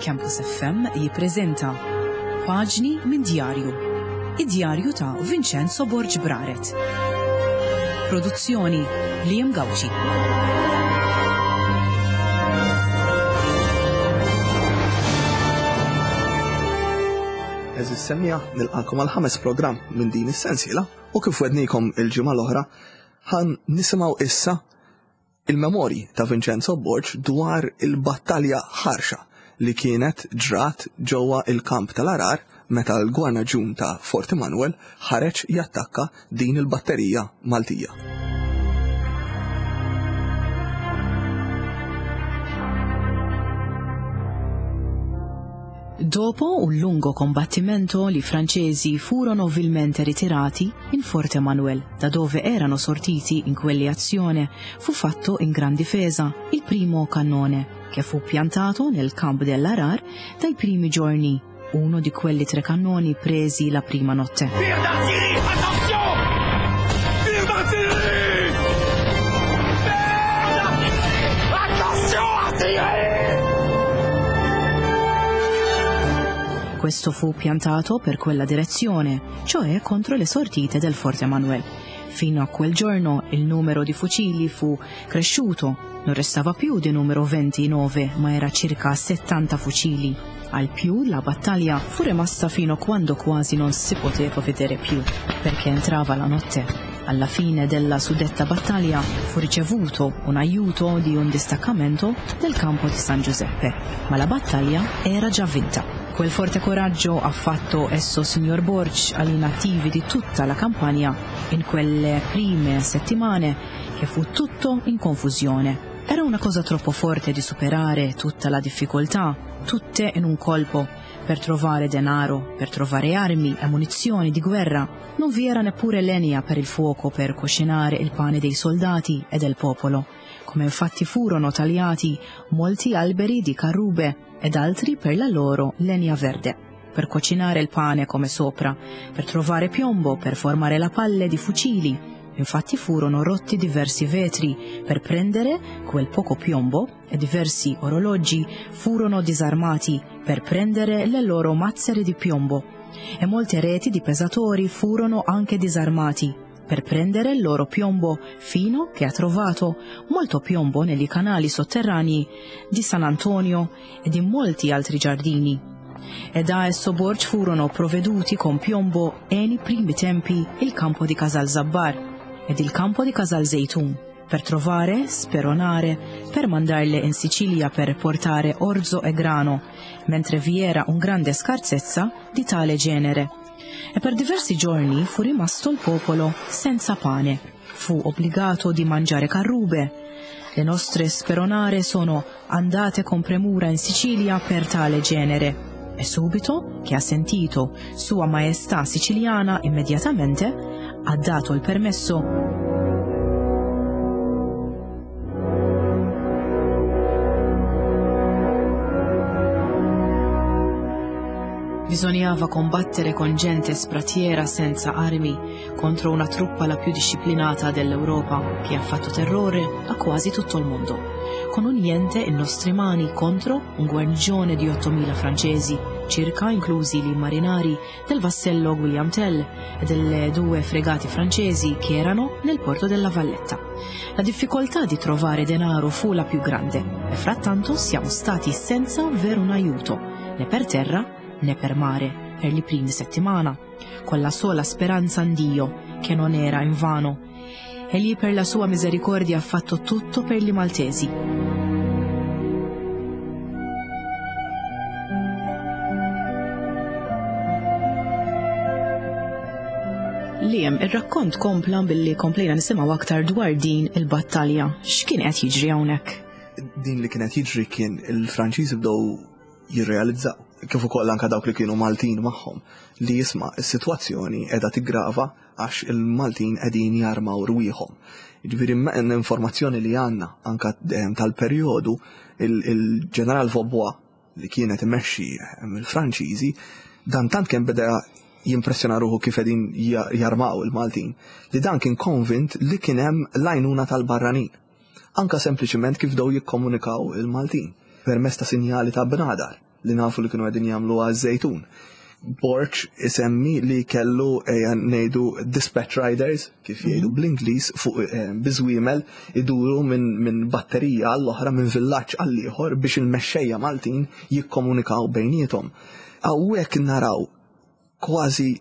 Campus FM jippreżenta Paġni minn Djarju. Id-djarju ta' Vincenzo Borg Braret. Produzzjoni Liam Gauci. Eżis semija, nilqakom għal ħames programm minn din is-sensiela u kif wednikom il-ġimgħa l-oħra ħan nisimgħu issa Il-memorji ta' Vincenzo Borg dwar il-battalja ħarxa li kienet ġrat ġewwa il-kamp tal-Għargħar meta l-gwarnaġun ta' Fort Immanuel ħareġ jattakka din il-batterija Maltija. Dopo un lungo combattimento i francesi furono vilmente ritirati in Forte Manuel, da dove erano sortiti in quell'azione, fu fatto in gran difesa il primo cannone, che fu piantato nel campo dell'Arar dai primi giorni, uno di quelli tre cannoni presi la prima notte. Questo fu piantato per quella direzione, cioè contro le sortite del Forte Manuel. Fino a quel giorno il numero di fucili fu cresciuto, non restava più di numero 29, ma era circa 70 fucili. Al più la battaglia fu rimasta fino a quando quasi non si poteva vedere più, perché entrava la notte. Alla fine della suddetta battaglia fu ricevuto un aiuto di un distaccamento del campo di San Giuseppe, ma la battaglia era già vinta. Quel forte coraggio ha fatto esso signor Borg agli nativi di tutta la campagna in quelle prime settimane che fu tutto in confusione. Era una cosa troppo forte di superare tutta la difficoltà, tutte in un colpo, per trovare denaro, per trovare armi e munizioni di guerra. Non vi era neppure legna per il fuoco per cucinare il pane dei soldati e del popolo, come infatti furono tagliati molti alberi di carrube ed altri per la loro legna verde, per cucinare il pane come sopra, per trovare piombo, per formare la palle di fucili. Infatti furono rotti diversi vetri per prendere quel poco piombo e diversi orologi furono disarmati per prendere le loro mazzere di piombo e molte reti di pesatori furono anche disarmati per prendere il loro piombo fino che ha trovato molto piombo negli canali sotterranei di San Antonio e di molti altri giardini. E da esso Borg furono provveduti con piombo e nei primi tempi il campo di Casal Zabbar ed il campo di Casal Zeitun per trovare, speronare, per mandarle in Sicilia per portare orzo e grano, mentre vi era un grande scarsezza di tale genere. E per diversi giorni fu rimasto il popolo senza pane. Fu obbligato di mangiare carrube. Le nostre speronare sono andate con premura in Sicilia per tale genere. E subito che ha sentito Sua Maestà Siciliana immediatamente ha dato il permesso. Bisognava combattere con gente spratiera senza armi contro una truppa la più disciplinata dell'Europa che ha fatto terrore a quasi tutto il mondo. Con un niente in nostre mani contro un guarnigione di 8.000 francesi, circa inclusi i marinari del vassello William Tell e delle due fregate francesi che erano nel porto della Valletta. La difficoltà di trovare denaro fu la più grande e frattanto siamo stati senza avere un aiuto, né per terra né per mare, per le prime settimane, con la sola speranza in Dio, che non era invano. Egli per la sua misericordia ha fatto tutto per gli maltesi. Liam, ir-rakkont kompla billi komplejna nisimgħu aktar dwar din il-battalja. X'kien qed jiġri hawnhekk? Din li kienet jiġri kien il-Franċiżi bdew jirrealizzaw, kif ukoll anke dawk li kienu Maltin magħhom, li jisma' s-sitwazzjoni qiegħda tiggrava għax il-Maltin qegħdin jarmaw rwieħhom. Jiġifieri l-informazzjoni li għandna anke tal-perjodu il-Ġeneral Vaubois li kienet imexxi il-Franċiżi, dan tant kemm beda jimpressjona ruħu kif qegħdin jarmaw il-Maltin, li dan kien konvint li kien hemm l-għajnuna tal-barranin. Anka sempliċiment kif bdew jikkomunikaw il-Maltin permezz ta' sinjali ta' bnadar. li nafu li kienu qegħdin jagħmlu għaż-żejtun. Borg isemmi li kellu ejja ngħidu dispatch riders, kif jgħidu bl-Ingliż, fuq eh, biżwiemel iduru minn min batterija għall-oħra minn villaġġ għall-ieħor biex il-mexxejja Maltin jikkomunikaw bejniethom. Hawnhekk naraw kważi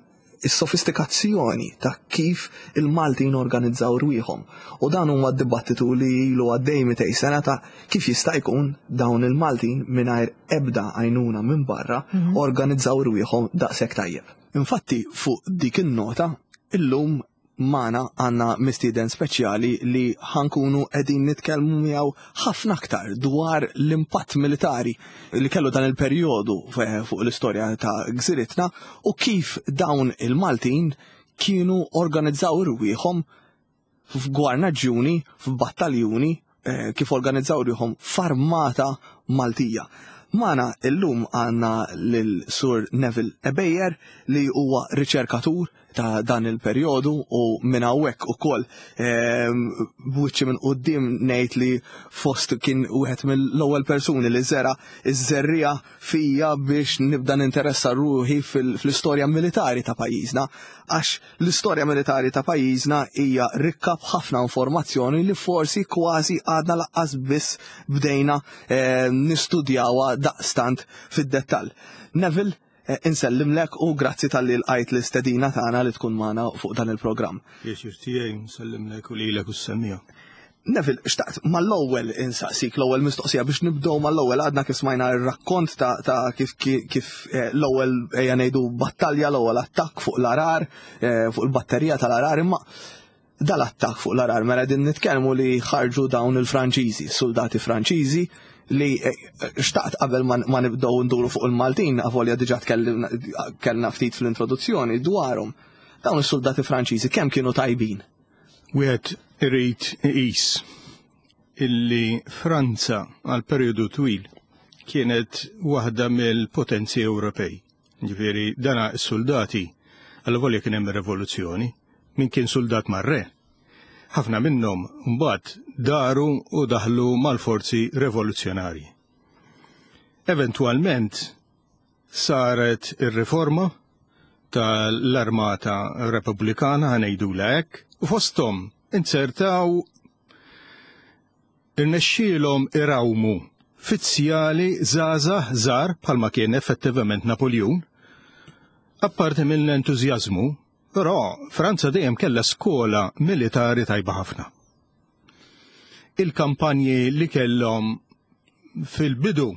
is-sofistikazzjoni ta' kif il-Maltin organizzaw rwieħhom. U dan huwa dibattitu li ilu għaddej 200 sena ta' kif jista' jkun dawn il-Maltin mingħajr ebda għajnuna minn barra organizzaw rwieħhom daqshekk tajjeb. Infatti fuq dik in-nota illum magħna għandna mistieden speċjali li ħa nkunu qegħdin nitkellmu miegħu ħafna aktar dwar l-impatt militari li kellu dan il-perjodu fuq l-istorja ta' gżiritna u kif dawn il-Maltin kienu organizzaw irwieħhom f'gwarnaġġjuni, f'battaljuni, eh, kif organizzaw rwieħhom f'armata Maltija. Magħna illum għandna lil Sur Neville Ebejer li huwa riċerkatur ta' dan il-perjodu u minn hawnhekk ukoll ehm, b'wiċċi minn quddiem ngħid li fost kien wieħed mill-ewwel persuni li żera iż-żerriegħa fija biex nibda ninteressa ruħi fl-istorja militari ta' pajjiżna għax l-istorja militari ta' pajjiżna hija rikka b'ħafna informazzjoni li forsi kważi għadna laqqas biss bdejna ehm, nistudjawha daqstant fid-dettall. Neville, Eh, insellimlek u grazzi talli lqajt l-istedina tagħna li tkun magħna fuq dan il-programm. Pjaċir tiegħi nsellimlek u lilek u s-semmija. Neville, xtaqt mal-ewwel insaqsik l-ewwel mistoqsija biex nibdew mal-ewwel għadna kif smajna r-rakkont ta', ta kif, kif eh, l-ewwel ejja ngħidu battalja, l-ewwel attakk fuq l-arar, eh, fuq il-batterija tal-arar, imma dal-attakk fuq l-arar mela din nitkellmu li ħarġu dawn il-Franċiżi, soldati Franċiżi li eh, xtaqt qabel ma nibdew nduru fuq il-Maltin, avolja diġà kellna ftit fl-introduzzjoni dwarhom. Dawn is-soldati Franċiżi kemm kienu tajbin? Wieħed irid iqis illi Franza għal perjodu twil kienet waħda mill-potenzi Ewropej. Ġifieri dana s-soldati għal volja kien hemm revoluzzjoni, min kien soldat mar-re. Ħafna minnhom mbagħad daru u daħlu mal-forzi revoluzzjonarji. Eventwalment saret ir-riforma tal-Armata Repubblikana ħa ngħidulha hekk, u fosthom inzertaw irnexxielhom irawmu fizzjali żgħażagħ żgħar bħalma kien effettivament Napoljun. Apparti mill-entużjażmu, però Franza dejjem kellha skola militari tajba ħafna. Il-kampanji li kellhom fil-bidu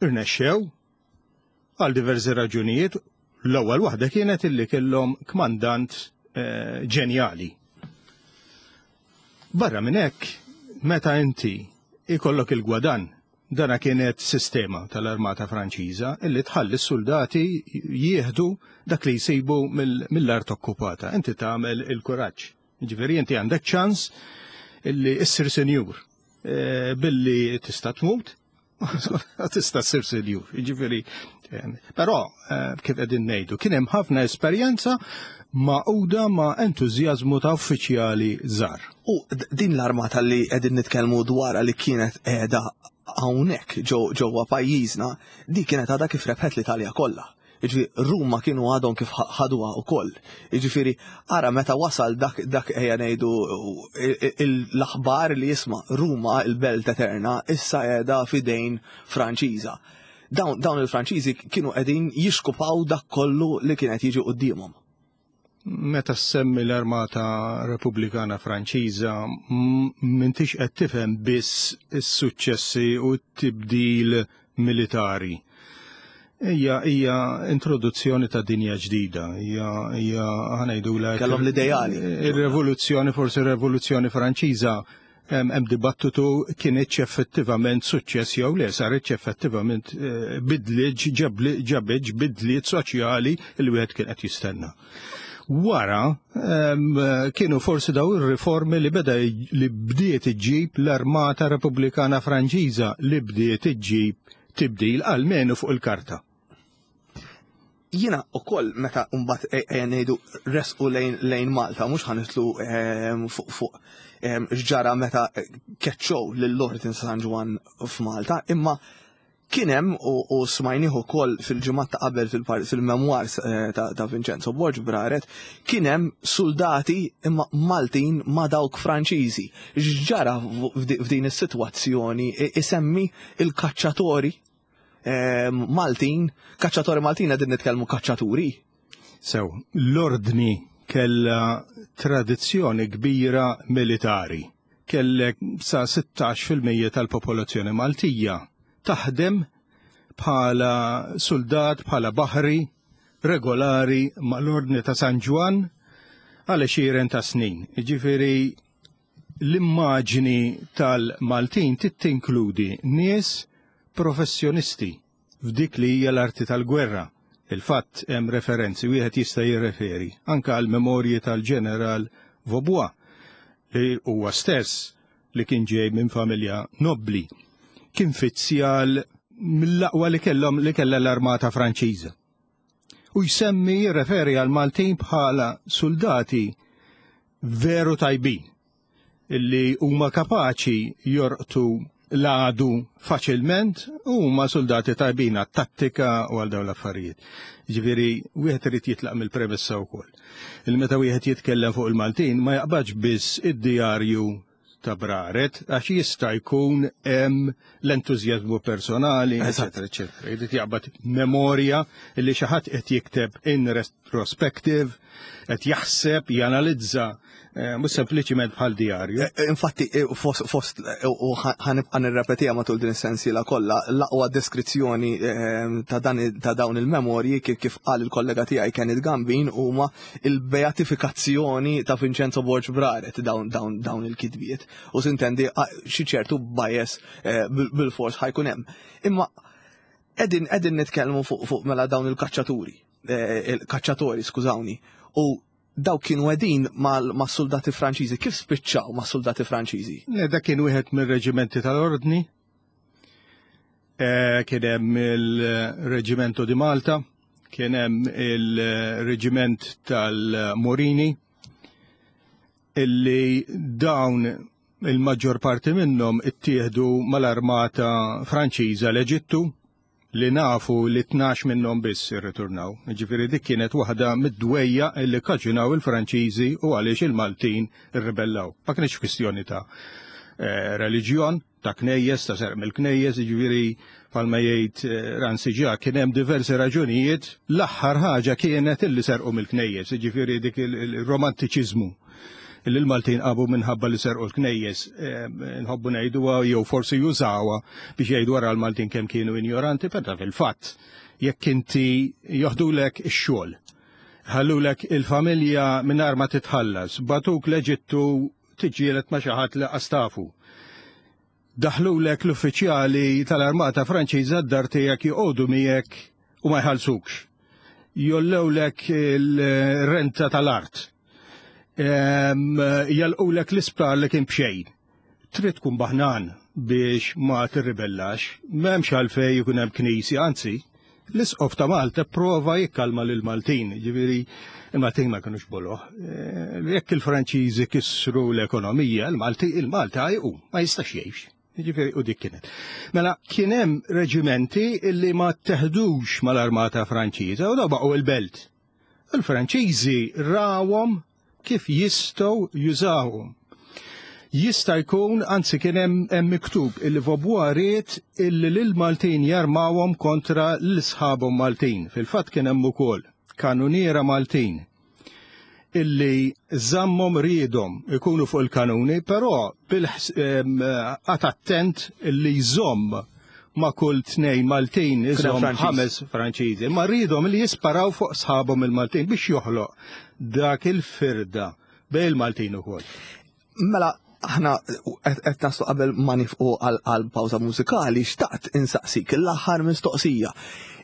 irnexxew għal diversi raġunijiet. L-ewwel waħda kienet illi kellhom kmandant eh, ġenjali. Barra minn hekk, meta inti ikollok il-gwadan, dana kienet sistema tal-Armata Franċiża illi tħalli s-soldati jieħdu dak li jsibu mill-art okkupata. Inti tagħmel il-kuraġġ. Ġifieri inti għandek ċans illi issir senjur eh, billi tista' tmut Tista' ssir senjur, jiġifieri. Però eh, kif qegħdin ngħidu, kien hemm ħafna esperjenza maquda ma' entużjażmu ta' uffiċjali żgħar. U din l-armata li qegħdin nitkellmu dwarha li kienet qiegħda hawnhekk ġewwa pajjiżna, di kienet għadha kif rebħet l-Italja kollha. Jiġifieri Ruma kienu għadhom kif ħaduha wkoll. Jiġifieri ara meta wasal dak dak ejja ngħidu l-aħbar li jisma' Ruma il-belt eterna issa qiegħda f'idejn Franċiża. Dawn, dawn il-Franċiżi kienu qegħdin jixkupaw dak kollu li kien qed jiġi quddiemhom. Meta ssemmi l-Armata Repubblikana Franċiża, m'intix qed tifhem biss is-suċċessi u t-tibdil militari. Hija hija introduzzjoni ta' dinja ġdida, hija hija ħa ngħidulha Kellhom l-ideali. Ir-revoluzzjoni, forsi r-Revoluzzjoni Franċiża hemm dibattitu kienitx effettivament suċċess jew le, saritx effettivament eh, bidliet ġabitx bidliet soċjali li wieħed kien qed jistenna. Wara kienu forsi daw ir-riformi li beda li bdiet iġġib l-Armata Repubblikana Franċiża li bdiet iġġib tibdil almenu fuq il-karta. Jiena ukoll meta mbagħad e, e, ngħidu resqu lejn, lejn Malta, mhux ħanitlu ehm, fuq fuq ehm, x'ġara meta keċċow lil Lord San Ġwann f'Malta, imma Kien hemm u smajnih ukoll fil-ġimgħat ta' qabel fil-memoirs eh, ta' Vincenzo Borg Braret, kien hemm soldati imma Maltin ma' dawk Franċiżi. X'ġara f'din is-sitwazzjoni isemmi il-kaċċatori eh, Maltin, kaċċatori Maltin qegħdin nitkellmu kaċċaturi. Sew, l-ordni kella tradizzjoni kbira militari kellek sa 16% tal-popolazzjoni Maltija taħdem bħala suldat, bħala baħri regolari mal-Ordni ta' San Ġwann għal għexieren ta' snin. Jiġifieri l-immaġni tal-Maltin tittinkludi nies professjonisti f'dik li hija l-arti tal-gwerra. Il-fatt hemm referenzi wieħed jista' jirreferi anke għal memorji tal-Ġeneral Vaubois li huwa stess li kien ġej minn familja nobbli. Kien fizzjal mill-aqwa li kellhom li kellha l-armata Franċiża. U jsemmi jirreferi għal Maltin bħala soldati veru tajbin illi huma kapaċi jorqtu l-għadu faċilment u huma soldati tajbin għat-tattika u għal dawn l-affarijiet. Ġifieri wieħed irid jitlaq mill-premessa wkoll. Il meta wieħed jitkellem fuq il-Maltin ma jaqbadx biss id-djarju ta' Braret għax jista' jkun hemm l-entużjażmu personali, eċetera, eċetera. Jrid jaqbad memorja li xi ħadd qed jikteb in retrospective, qed jaħseb, janalizza, eh, mhux sempliċiment bħal djarju. Eh, eh, infatti, fost u ħanibqa' nirrepetiha matul din is-sensiela kollha, l-aqwa deskrizzjoni ta' ta' dawn il-memorji kif qal il-kollega tiegħi Kenneth Gambin huma il-beatifikazzjoni ta' Vincenzo Borg Braret dawn il-kitbiet. U sintendi xi ċertu bias bil-fors ħajkun hemm. Imma qegħdin qegħdin nitkellmu fuq mela dawn il-kaċċaturi. Eh, il-kaċċatori, skużawni, u daw kienu għedin ma' soldati Franċiżi. Kif spiċċaw ma' soldati Franċiżi? Le, dak kien wieħed mir-reġimenti tal-Ordni. Eh, kien hemm il-Reġimento di Malta, kien hemm il-Reġiment tal-Morini, illi dawn il-maġġor parti minnhom ittieħdu mal-armata Franċiża l-Eġittu li nafu li 12 minnhom biss irriturnaw. Ġifieri dik kienet waħda mid-dwejja li kkaġunaw il-Franċiżi u għaliex il-Maltin irribellaw. Ma kienx kwistjoni ta' eh, reliġjon, ta' knejjes, ta' serq mill-knejjes, ġifieri bħalma jgħid eh, Ransi ġa kien hemm diversi raġunijiet, l-aħħar ħaġa kienet illi serqu mill-knejjes, ġifieri dik il-romantiċiżmu li l-Maltin qabu minħabba li serqu l-knejjes, eh, nħobbu ngħiduha jew forsi jużawha biex jgħidu wara l-Maltin kemm kienu injoranti, però fil-fatt jekk inti joħdulek ix-xogħol, ħallulek il-familja mingħajr ma titħallas, batuk l-Eġittu tiġġieled ma' xi ħadd li qastafu. Daħlulek l-uffiċjali tal-Armata Franċiża d-dar tiegħek joqogħdu miegħek u ma jħallsukx. Jollewlek il-renta tal-art. Jalqulek l-isptar li kien b'xejn. Trid tkun baħnan biex ma tirribellax. M'hemmx għalfejn ikun hemm knisja, anzi, l-Isqof ta' Malta prova jikkalma lil Maltin, ġifieri il-Maltin ma kinux boloh. Eh, jekk il-Franċiżi kissru l-ekonomija, il-Malti il-Malta jqum, ma jistax jgħix. Ġifieri u dik kienet. Mela kien hemm reġimenti illi ma teħdux mal-armata Franċiża u daw baqgħu il-belt. Il-Franċiżi rawhom kif jistgħu jużawhom. Jista' jkun, anzi kien hemm miktub illi Vaubois ried illi lill-Maltin jarmawhom kontra l-sħabhom Maltin. Fil-fatt kien hemm ukoll kanuniera Maltin illi żammhom riedhom ikunu fuq il-kanuni, però bil-qat attent illi jżomm ma' kull tnejn Maltin iżomm ħames Franċiżi. Ma rridhom li jisparaw fuq sħabhom il-Maltin biex joħloq dak il-firda bejn il-Maltin ukoll. Mela, aħna qed naslu qabel ma nifqu għal pawża mużikali, xtaqt insaqsik l-aħħar mistoqsija.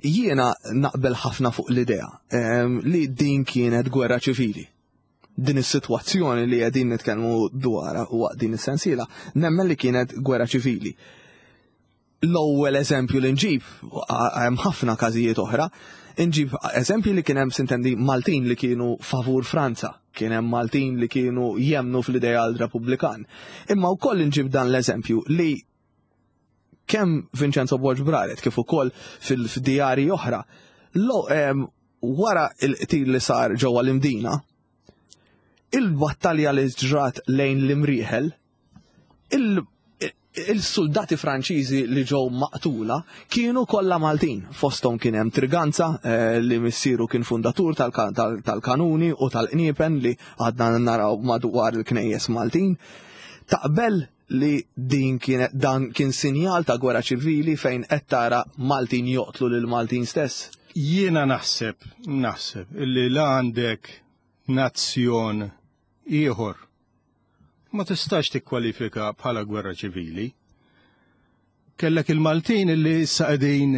Jiena naqbel ħafna fuq l-idea ehm, li din kienet gwerra ċivili. Din is-sitwazzjoni li qegħdin nitkellmu dwarha waqt din is-sensiela, nemmen li kienet gwerra ċivili. L-ewwel eżempju li nġib, hemm ħafna każijiet oħra, nġib eżempju li kien hemm sintendi Maltin li kienu favur Franza, kien hemm Maltin li kienu jemnu fl-ideal Repubblikan. Imma wkoll nġib dan l-eżempju li kemm Vincenzo Borg Braret kif ukoll fil-djarji oħra, wara il-qtil li sar ġewwa l-Imdina, il-battalja li ġrat lejn l-Imrieħel, il-soldati Franċiżi li ġew maqtula kienu kollha Maltin. Fosthom kien hemm Triganza eh, li missieru kien fundatur tal-kanuni u tal-qniepen li għadna naraw madwar il-knejjes Maltin. Taqbel li din kien dan kien sinjal ta' gwerra ċivili fejn qed tara Maltin joqtlu lil Maltin stess? Jiena naħseb, naħseb illi la għandek nazzjon ieħor ma tistax tikkwalifika bħala gwerra ċivili. Kellek il-Maltin illi issa qegħdin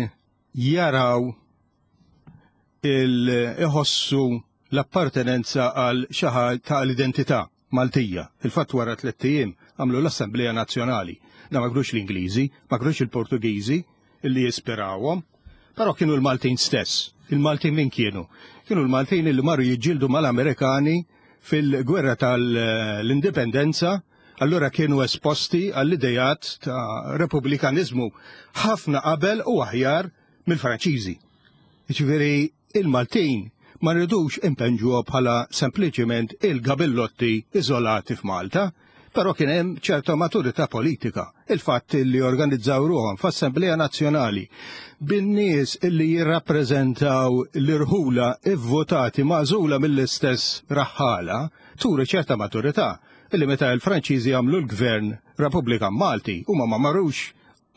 jaraw il-iħossu l-appartenenza għal xi ħaġa ta' l-identità Maltija. Il-fatt wara tlett ijiem għamlu l-Assemblea Nazzjonali. Da ma kinux l-Ingliżi, ma kinux il-Portugiżi illi jispirawhom, però kienu l-Maltin stess. Il-Maltin min kienu? Kienu l-Maltin illi marru jiġġieldu mal-Amerikani fil-gwerra tal-Indipendenza, allura kienu esposti għall-idejat ta' repubblikaniżmu ħafna qabel u aħjar mill-Franċiżi. Jiġifieri il-Maltin ma rridux impenġuha bħala sempliċiment il-gabillotti iżolati f'Malta, però kien hemm ċerta maturità politika. Il-fatt li organizzaw ruħhom f'Assemblea Nazzjonali bin-nies li jirrappreżentaw l-irħula ivvotati magħżula mill-istess raħħala turi ċerta maturità illi meta l-Franċiżi għamlu l-Gvern Repubblikan Malti huma ma marrux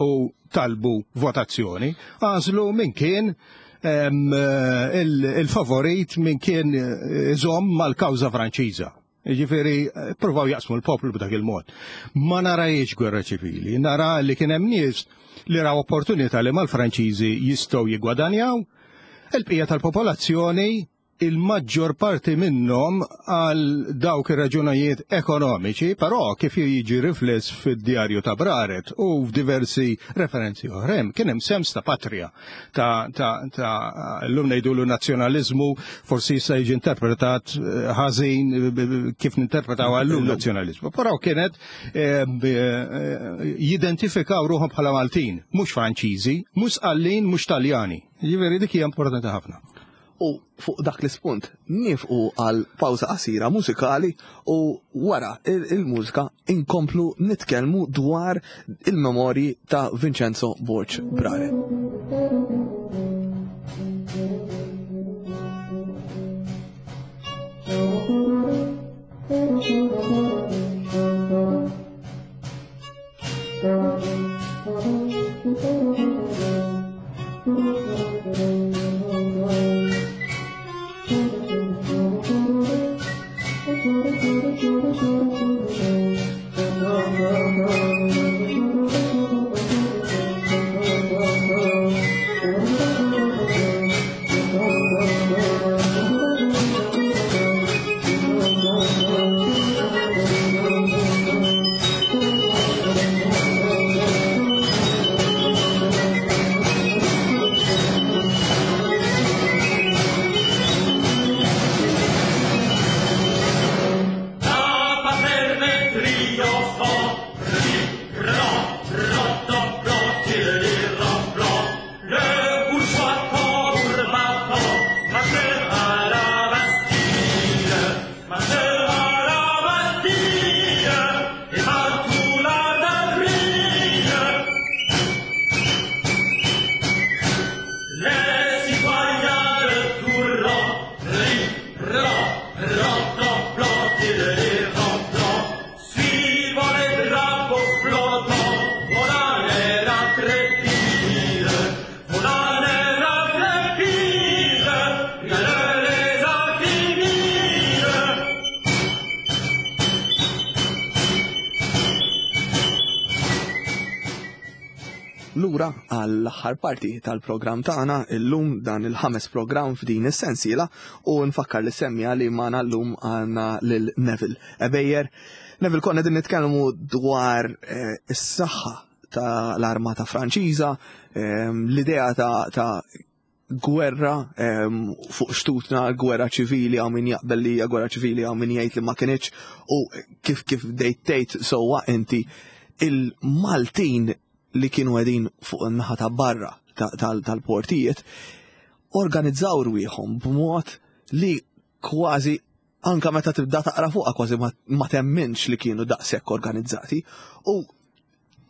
u talbu votazzjoni, għażlu min kien il-favorit min kien iżomm mal-kawża Franċiża. Jiġifieri provaw jaqsmu l-poplu b'dak il-mod. Ma narajiex gwerra ċivili, nara li kien hemm nies li raw opportunità li mal-Franċiżi jistgħu jiggwadanjaw, il-bqija tal-popolazzjoni il-maġġor parti minnhom għal dawk ir-raġunajiet ekonomiċi, però kif jiġi rifless fid-djarju ta' Braret u f'diversi referenzi oħrajn, kien hemm sens ta' patrija, ta' ta' ta' llum ngħidulu nazzjonaliżmu, forsi jista' jiġi interpretat eh, ħażin eh, kif ninterpretaw għallum nazzjonaliżmu. Però kienet eh, jidentifikaw ruħhom bħala Maltin, mhux Franċiżi, mhux Sqallin, mhux Taljani. Jiġifieri dik hija importanti ħafna. U fuq dak l-ispunt niefqu għal pawża qasira mużikali u wara il-mużika inkomplu nitkellmu dwar il-memorji ta' Vincenzo Borg Brare. Lura għall-aħħar parti tal-programm tagħna illum dan il-ħames programm f'din is-sensiela u nfakkar li semmija li magħna llum għandna lil Neville Ebejer. Neville konna din nitkellmu dwar eh, is-saħħa tal-armata Franċiża, ehm, l-idea ta' gwerra ehm, fuq xtutna, gwerra ċivili għaw min jaqbel li hija gwerra ċivili għaw min jgħid li ma kinitx u kif kif dejt tgħid sewwa inti il-Maltin. li kienu qegħdin fuq in-naħa ta' barra tal-portijiet organizzaw rwieħhom b'mod li kważi anka meta tibda taqra fuqha kważi ma temminx li kienu daqshekk organizzati. U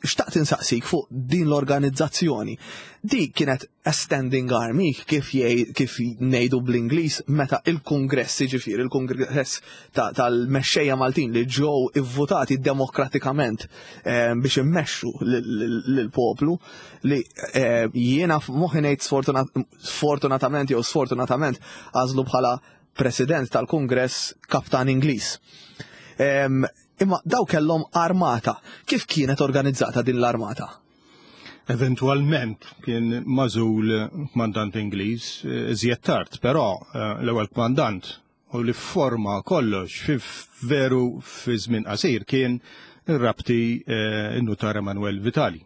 xtaqt insaqsik fuq din l-organizzazzjoni. Di kienet a standing army kif kif ngħidu bl-Ingliż meta il-Kungress jiġifieri il-Kungress tal-mexxejja Maltin li ġew ivvutati demokratikament eh, biex immexxu lill-poplu li eh, jiena f'moħħi ngħid sfortunatament jew sfortunatament għażlu bħala president tal-Kungress kaptan Ingliż. Imma daw kellhom armata. Kif kienet organizzata din l-armata? Eventualment kien mażul kmandant Ingliż eh, iżjed tard, però eh, l-ewwel kmandant u li forma kollox fi veru fi żmien qasir kien ir-rabti eh, n-nutar Emanuel Vitali.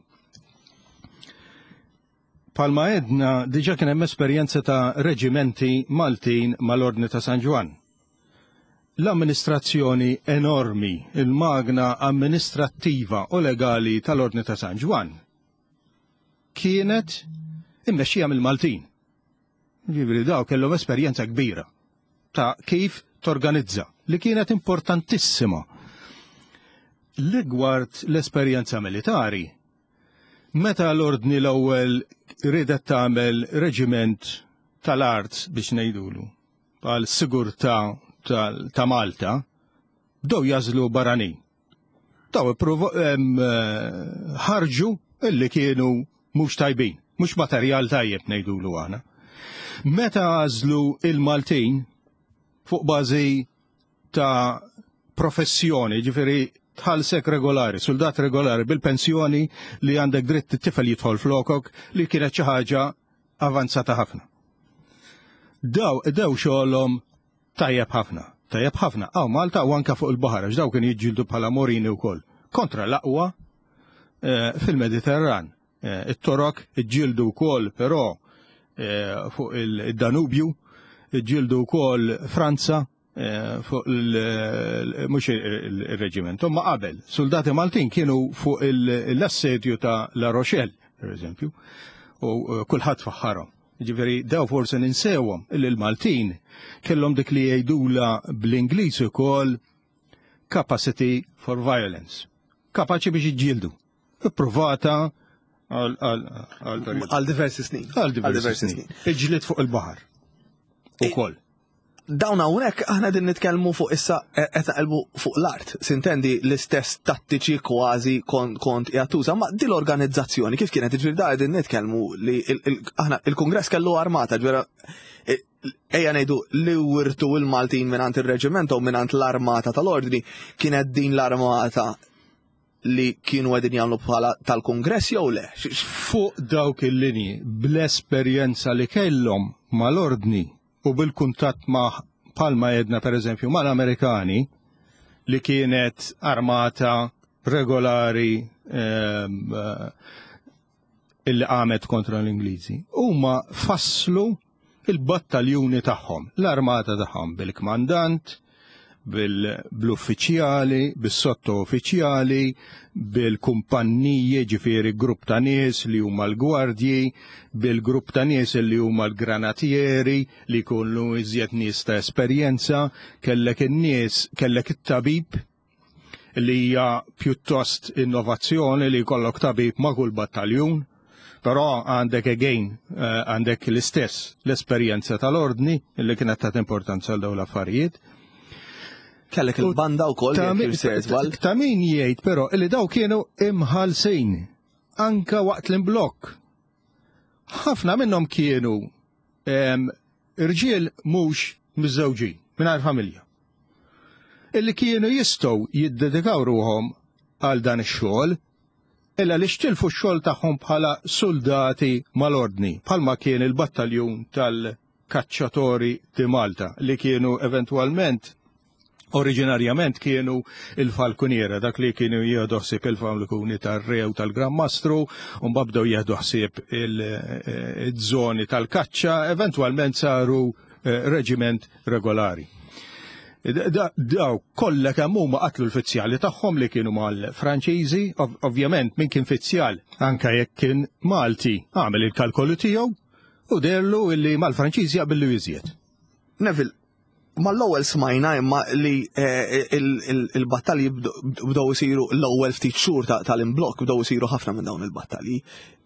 Palma edna diġa kien hemm esperjenza ta' reġimenti Maltin mal-Ordni ta' San Ġwann. L-amministrazzjoni enormi, il-magna amministrattiva u legali tal-Ordni ta' San Ġwann kienet immexxija mill-Maltin. Ġifieri daw kellhom esperjenza kbira ta' kif torganizza li kienet importantissima. Rigward l-esperjenza militari, Meta l-Ordni l-ewwel riedet tagħmel reġiment tal-art biex ngħidulu għal sigurtà ta' Malta, bdew jażlu barranin. Daw eh, ħarġu illi kienu mhux tajbin, mhux materjal tajjeb ngħidulu aħna. Meta għażlu il-Maltin fuq bażi ta' professjoni, ġifiri tħallsek regolari, soldat regolari bil-pensjoni li għandek dritt it-tifel jidħol flokok li kienet xi ħaġa avanzata ħafna. Daw dew xogħolhom tajjeb ħafna, tajjeb ħafna, għaw Malta u anka fuq il-baħar, għax daw kienu jiġġieldu bħala morini wkoll kontra l-aqwa eh, fil-Mediterran. Eh, it-Torok iġġieldu wkoll però eh, fuq il-Danubju, iġġieldu wkoll Franza eh, fuq mhux il-reġiment, imma qabel, soldati Maltin kienu fuq l-assedju ta' La Rochelle, per eżempju, u kulħadd faħħarhom. Ġifieri daw forsi ninsewhom illi l-Maltin kellhom dik li jgħidula bl-Ingliż ukoll capacity for violence. Kapaċi biex jiġġieldu ippruvata għal diversi snin. Għal diversi snin. Iġlit fuq il-baħar. Ukoll. Dawn hawnhekk aħna din nitkellmu fuq issa e, qed naqilbu fuq l-art. Sintendi l-istess tattiċi kważi kont jattuża, ma din l-organizzazzjoni kif kienet ġifieri da qegħdin nitkellmu li aħna il-Kungress kellu armata ġvera e, ejja ngħidu li wirtu il-Maltin mingħand ir-reġiment u mingħand l-armata tal-ordni kienet din l-armata li kienu għedin jagħmlu bħala tal-Kungress jew le? Fuq dawk il-linji, bl-esperjenza li kellhom mal-ordni u bil-kuntatt ma' palma jedna per eżempju mal-Amerikani li kienet armata regolari ehm, eh, illi qamet kontra l-Ingliżi. Huma fasslu il-battaljuni tagħhom, l-armata tagħhom bil-kmandant, bil-uffiċjali, bis-sotto uffiċjali, bil-kumpanniji, ġifieri grupp ta' nies li huma l-gwardji, bil-grupp ta' nies li huma l-granatieri li jkunu iżjed nies ta' esperjenza, kellek in-nies, kellek it-tabib li hija pjuttost innovazzjoni li jkollok tabib ma' kull battaljun, però għandek again eh, għandek l-istess l-esperjenza tal-ordni li kienet ta' importanza għal dawn l-affarijiet. Kellek il-banda wkoll ta' min jgħid però li daw kienu imħalsin anka waqt l-imblokk. Ħafna minnhom kienu irġiel mhux miżżewġin, mingħajr familja. Illi kienu jistgħu jiddedikaw ruhom għal dan ix-xogħol, illa li xtilfu x-xogħol tagħhom bħala soldati mal-ordni, bħalma kien il-battaljun tal-Kaċċatori di Malta li kienu eventwalment Oriġinarjament kienu il-falkuniera, dak li kienu jieħdu ħsieb il-falkuni tar-re u tal-Gran Mastru, u mbagħad bdew jieħdu ħsieb il-żoni tal-kaċċa, eventwalment saru eh, reġiment regolari. Daw kollha kemm huma qatlu l-fizzjali tagħhom li kienu mal-Franċiżi, ovvjament min kien fizzjal anke jekk kien Malti għamel il-kalkolu tiegħu u derlu illi mal-Franċiżi jaqbillu iżjed. Neville, mal-ewwel smajna imma li eh, il-battalji bdew isiru l-ewwel ftit xhur tal-imblokk bdew isiru ħafna minn dawn il-battalji.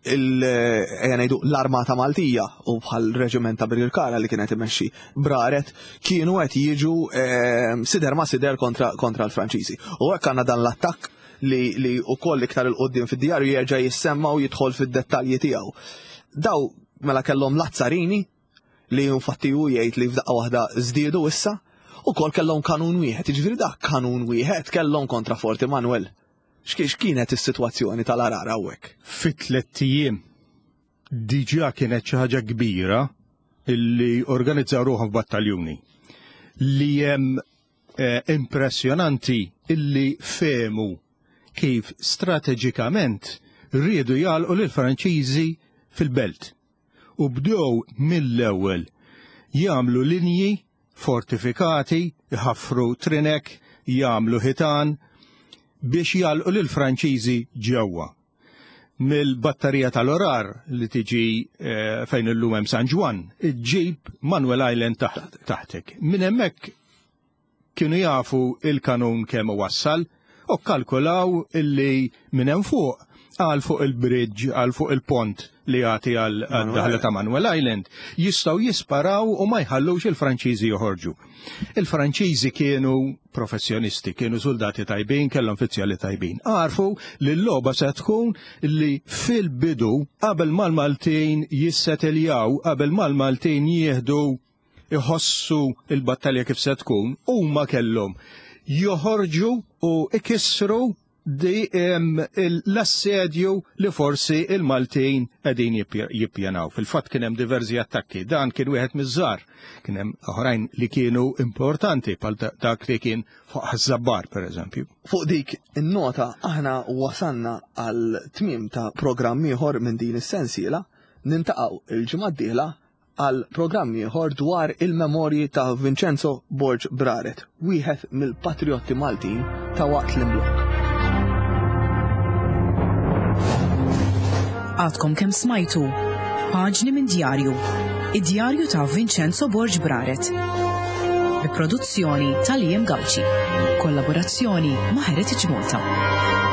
Ejja ngħidu l-Armata Maltija u bħal reġiment ta' Birkirkara li kienet imexxi Braret kienu qed jiġu eh, sider ma' sider kontra, kontra l-Franċiżi. U hekk għandna dan l-attakk li, li ukoll iktar il-qoddim fid-djarju jerġa' jissemma u jidħol fid-dettalji tiegħu. Daw mela kellhom l-azzarini li infatti hu jgħid li f'daqqa waħda żdiedu issa, ukoll kellhom kanun wieħed, jiġifieri dak kanun wieħed kellhom kontra Fort Emanuel. X'kienet is-sitwazzjoni tal-Għargħar hawnhekk? Fi tlett ijiem diġà kienet xi ħaġa kbira illi organizzaw ruħhom f'battaljuni li hemm eh, impressjonanti illi fehmu kif strateġikament riedu jagħlqu lill-Franċiżi fil-belt u bdew mill-ewwel jagħmlu linji fortifikati, iħaffru trinek, jagħmlu ħitan biex jagħlqu lill-Franċiżi ġewwa. Mill-batterija tal-Orar li tiġi eh, fejn illum hemm San Ġwann, iġġib Manuel Island taħtek. Minn hemmhekk Kienu jafu il-kanun kemm iwassal u kkalkulaw illi minn hemm fuq għal fuq il-bridge, għal fuq il-pont li jagħti għal daħla ta' Manuel Island, jistgħu jisparaw u ma jħallux il-Franċiżi joħorġu. Il-Franċiżi kienu professjonisti, kienu soldati tajbin, kellhom fizzjali tajbin. Għarfu li l-logħba se tkun li fil-bidu qabel mal-Maltin jissetiljaw, qabel mal-Maltin jieħdu iħossu l-battalja kif se tkun, huma kellhom joħorġu u ikissru di l-assedju li forsi il-Maltin qegħdin jippjanaw. Fil-fatt kien hemm diversi attakki, dan kien wieħed miż-żgħar, kien hemm oħrajn li kienu importanti bħal dak li kien fuq Ħaż-Żabbar pereżempju. Fuq dik in-nota aħna wasalna għal tmiem ta' programm ieħor minn din is-sensiela, nintaqgħu il-ġimgħa d-dieħla għal programm ieħor dwar il-memorji ta' Vincenzo Borg Braret, wieħed mill-patrijotti Maltin ta' waqt l-imblokk. Għadkom kemm smajtu Paġni minn djarju, id-djarju ta' Vincenzo Borg Braret. Bi produzzjoni ta' Liam Gauci. Kollaborazzjoni ma' Heritage Malta.